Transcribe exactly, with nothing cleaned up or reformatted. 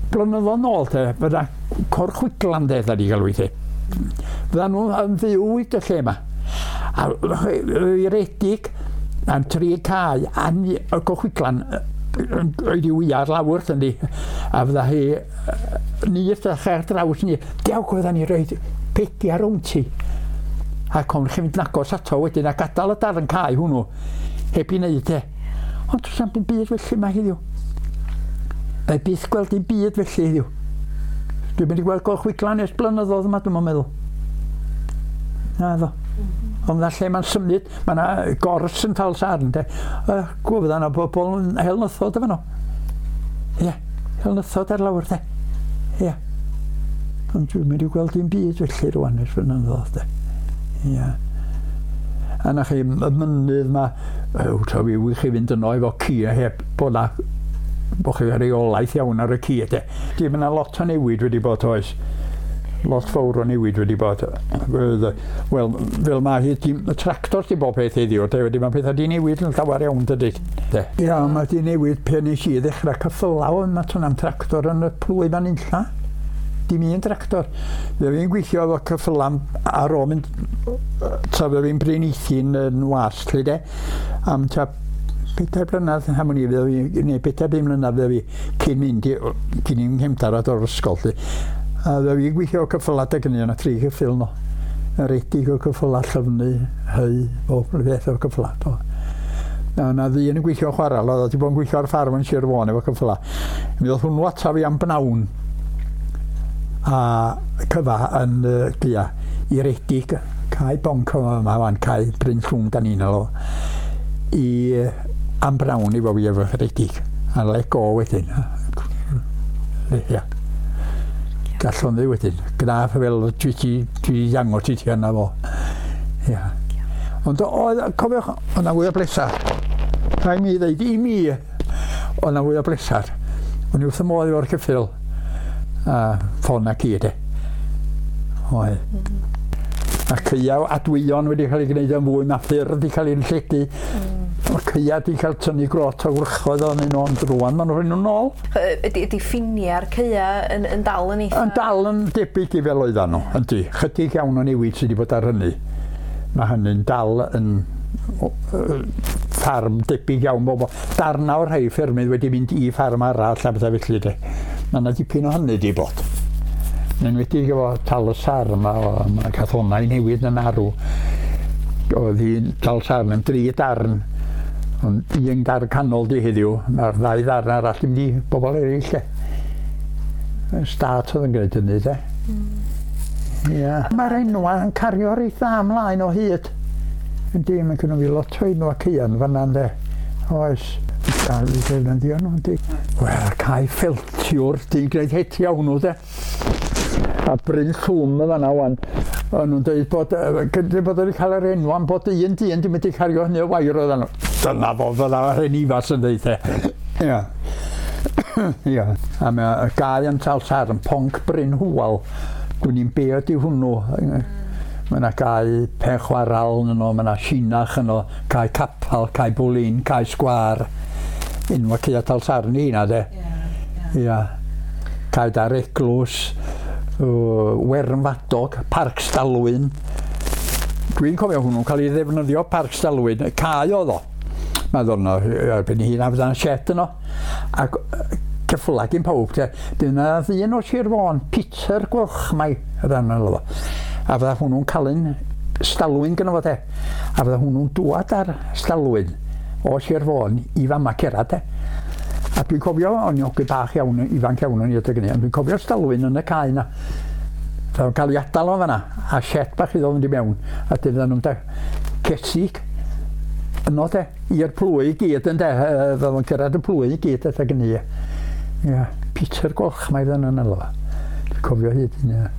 Blynyddoedd nôl te, fydda corchwiglan de, da di galw i te. Fydda nhw yn fyw i y lle yma. A i redig am tri cae a ni, y corchwiglan oedd i wyar lawr, yndi. A fydda hi, ni ydych ar draws ni, diawch fydda ni roed pedia rownd ti. Ac o'n chi'n mynd agos ato wedyn a gadael y darn cae hwnnw heb i wneud e. Ond does na'm byd felly yma heddiw. Mae byth gweld dim byd felly heddiw. Dwi'n mynd i gweld gorchwyglan ers blynyddoedd yma, dwi'n meddwl. Na ddo. Ond na lle mae'n symud, mae yna gors yn Tal-sarn, de. Uh, Gwybod yna bobl yn hel nythod efo nhw. Ie, hel nythod ar lawr, de. Ie. Ond dwi'n mynd i gweld dim byd felly rwan ers blynyddoedd, de. Ie. A na chi, y mynydd ma, ew, ta fi wych chi fynd yno efo ci a heb bod na bod chi reolaeth iawn ar y ci, de. Di, mae yna lot o newid wedi bod, oes. Lot fawr o newid wedi bod. Wel, fel mae hi, dim, y tractor di bob peth heddiw, de, wedi mae pethau di newid yn llawer iawn, dydy. De. Ia, mae di newid pe nes i ddechrau ceffylau, yma tôn am tractor yn y plwy fan unlla. Dim un tractor. Fe fi'n gweithio efo ceffylau ar ôl mynd, tra fe fi'n Bryn Eithin yn was, lle de, am tua pedair blynedd, am wn i, fydda fi, neu pedair bum mlynedd fydda fi cyn mynd i, cyn i'n nghefndar o'r ysgol, lle. A fydda fi'n gweithio o ceffylau adeg hynny, yna tri ceffyl no. Yn redig o ceffylau llyfnu, hy, bob beth o ceffylau. Do. Na, na ddyn yn gweithio chwarel, oedd wedi bod yn gweithio ar ffarm yn Sir Fôn efo ceffylau. Mi ddoth hwnnw ata fi am bnawn a cyfa yn uh, gia i redig cae bonc yma wan, cae Bryn Llwm da ni'n alw, i uh, am bnawn i fo fi efo redig. A let go wedyn. Ia. Gallwn ddi wedyn. Gwna fel dwi ti, dwi ddangos i ti yna fo. Ia. Ond oedd, cofiwch, oedd na fwy o blesar. Rhaid mi ddeud, i mi, oedd na fwy o blesar. O'n i wrth y modd efo'r ceffyl a ffon a ci, de. Oedd. A caeau adwyon wedi cael ei gwneud yn fwy, mae ffyrdd wedi cael ei lledu. Mm. Mae caeau wedi cael tynnu grot o wrychoedd o'n nhw, ond rwan maen nhw'n rhoi nhw'n ôl. Ydy, ydy ffiniau'r caeau yn, yn dal yn eitha? Yn dal yn debyg i fel oeddan nhw, yndi. Chydig iawn o newid sydd wedi bod ar hynny. Mae hynny'n dal yn ffarm debyg iawn. Bobl. Darna o'r rhai ffermydd wedi mynd i ffarm arall a bethau felly. De. Mae yna dipyn o hynny wedi bod. Yn enwedig efo Tal y Sarn, mae cath hwnna i newid yn arw. Oedd hi'n Tal Sarn yn dri darn, ond un darn canol di heddiw, mae'r ddau ddarn arall yn mynd i bobl eraill. De. Stât oedd yn gwneud hynny, de. Mm. Ia. Mae'r enwa yn cario reit dda ymlaen o hyd. Yndi, mae gynno fi lot o enwa caeau fan'na, ynde. Oes. A fi defnyddio nhw, yndi. Wel, cae ffeltiwr, di'n gwneud hetia hwnnw, de. A Bryn Llwm y fan'na wan. O'n nhw'n dweud bod, yy, bod wedi cael yr enw am bod un dyn di mynd i cario hynny o wair oedden nhw. Dyna fo, fydda yr hen ifas yn dweud, de. Ia. Ia. A mae y gae yn Tal Sarn, Ponc Bryn Hwal. Dwi'n i'n be ydi hwnnw. Mae yna gae Pen Chwaral yno, mae yna Sinach yno, cae Capal, cae Bwlin, cae Sgwar. Enwa caea Tal Sarn i hynna, de. Ia. Cae Dar Eglwys, uh, Wern Fadog, Parc Stalwyn. Dwi'n cofio hwnnw'n cael ei ddefnyddio Parc Stalwyn, y cae oedd o. Mae ddod yno, erbyn hyn a fydda'n shed yno. Ac ceffyla gyn pawb, te. Dyna ddyn o Sir Fôn, Peter Gwalchmai, y ddan yno fo. A fydda hwnnw'n cael un stalwyn gyda fo, te. A fydda hwnnw'n dwad ar stalwyn o Sir Fôn i fama cerad, te. A dwi'n cofio, o'n i ogyn bach iawn, ifanc iawn o'n i adeg hynny, ond dwi'n cofio stalwyn yn y cae yna. Fydda nhw'n cael ei adael o fan'na, a shed bach iddo fynd i mewn, a dyn nhw'n da cesig yno, de, i'r plwy i gyd yn de, fydda nhw'n cyrraedd y plwy i gyd adeg hynny. Ia, Peter Gwalchmai fydda nhw'n alw fo. Dwi'n cofio hyd hynny.